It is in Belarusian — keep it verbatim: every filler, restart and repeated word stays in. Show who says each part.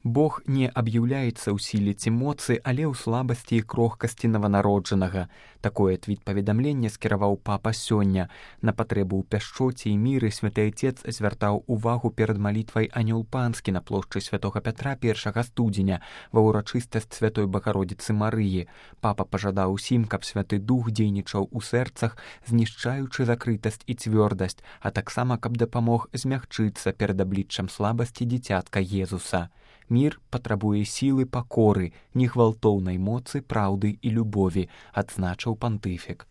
Speaker 1: Бог не аб'яўляецца ў сіле ці моцы, але ў слабасці і крохкасці нованароджанага. Такое твіт-паведамленне скіраваў папа сёння. На патрэбу ў пяшчоце і міры святы Отец звяртаў увагу перад малітвай Анёл Панскі на плошчы святога Пятра першага студзеня ва ўрачыстасць святой Багародзіцы Марыі. Папа пажадаў усім, каб святы дух дзейнічаў у сэрцах, знішчаючы закрытасць і цвёрдасць, а таксама каб дапамог змягчыцца перад абліччам слабасці дзіцятка Езуса. Мір патрабуе сілы пакоры, негвалтоўнай моцы, праўды і любові, адзначыў пантыфік.